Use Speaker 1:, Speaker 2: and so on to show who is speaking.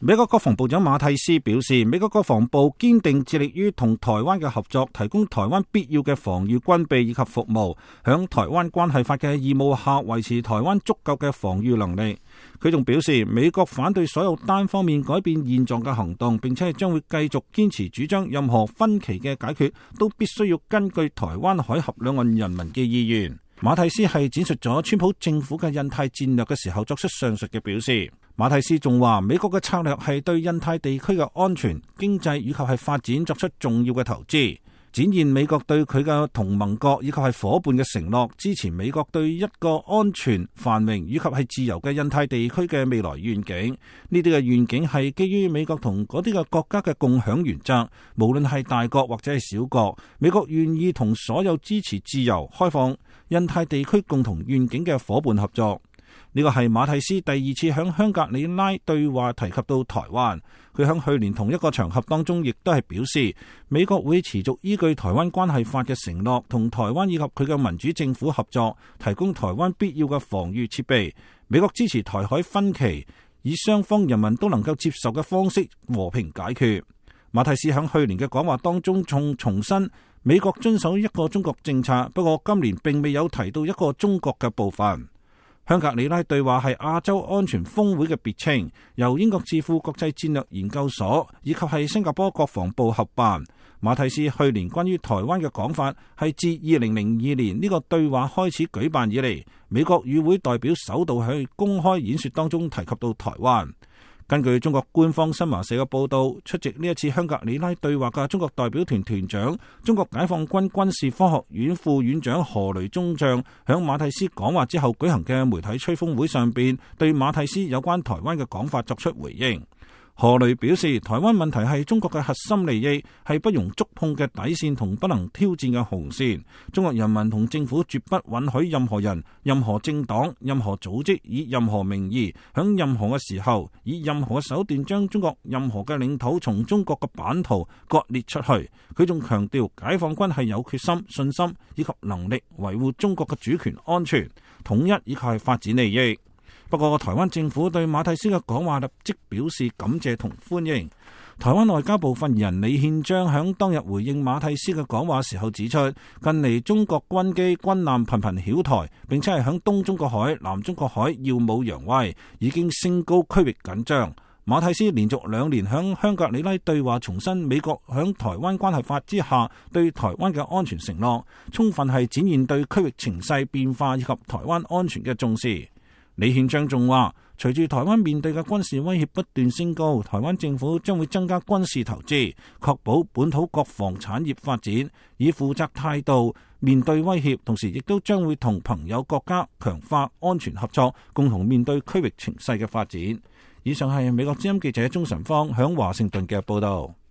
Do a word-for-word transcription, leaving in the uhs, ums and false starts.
Speaker 1: 美國國防部長馬蒂斯表示，美國國防部堅定致力於同台灣嘅合作，提供台灣必要嘅防禦軍備以及服務，響台灣關係法嘅義務下維持台灣足夠嘅防禦能力。佢仲表示，美國反對所有單方面改變現狀嘅行動，並且係將會繼續堅持主張任何分歧嘅解決都必須要根據台灣海峽兩岸人民嘅意願。馬蒂斯係展述咗川普政府嘅印太戰略嘅時候作出上述嘅表示。馬蒂斯仲話，美國嘅策略係對印太地區嘅安全、經濟以及係發展作出重要嘅投資，展現美國對佢嘅同盟國以及係夥伴嘅承諾，支持美國對一個安全、繁榮以及係自由嘅印太地區嘅未來願景。呢啲嘅願景係基於美國同嗰啲嘅國家嘅共享原則，無論係大國或者係小國，美國願意同所有支持自由、開放印太地區共同願景嘅夥伴合作。呢個係馬蒂斯第二次響香格里拉對話提及到台灣。佢響去年同一個場合當中亦都係表示，美國會持續依據台灣關係法嘅承諾，同台灣以及佢嘅民主政府合作，提供台灣必要嘅防禦設備。美國支持台海分歧，以雙方人民都能夠接受嘅方式和平解決。馬蒂斯響去年嘅講話當中仲重申美國遵守一個中國政策，不過今年並未有提到一個中國嘅部分。香格里拉對話係亞洲安全峰會嘅別稱，由英國智庫國際戰略研究所以及係新加坡國防部合辦。馬蒂斯去年關於台灣嘅講法係自二零零二年呢個對話開始舉辦以嚟，美國與會代表首度喺公開演說當中提及到台灣。根據中國官方新華社嘅報道，出席呢一次香格里拉對話嘅中國代表團團長、中國解放軍軍事科學院副院長何雷中將響馬蒂斯講話之後舉行嘅媒體吹風會上邊，對馬蒂斯有關台灣嘅講法作出回應。何雷表示，台灣問題係中國嘅核心利益，係不容觸碰嘅底線同不能挑戰嘅紅線。中國人民同政府絕不允許任何人、任何政黨、任何組織以任何名義，響任何嘅時候，以任何嘅手段將中國任何嘅領土從中國嘅版圖割裂出去。佢仲強調，解放軍係有決心、信心以及能力維護中國嘅主權安全、統一以及係發展利益。不過，台灣政府對馬蒂斯嘅講話立即表示感謝同歡迎。台灣外交部發言人李憲章響當日回應馬蒂斯嘅講話時候指出，近嚟中國軍機軍艦頻頻擾台，並且係響東中國海、南中國海耀武揚威，已經升高區域緊張。馬蒂斯連續兩年響香格里拉對話重申美國響台灣關係法之下對台灣嘅安全承諾，充分係展現對區域情勢變化以及台灣安全嘅重視。李憲章仲話，隨住台灣面對嘅軍事威脅不斷升高，台灣政府將會增加軍事投資，確保本土國防產業發展，以負責態度面對威脅，同時亦都將會同朋友國家強化安全合作，共同面對區域情勢嘅發展。以上係美國之音記者鍾晨芳響華盛頓嘅報道。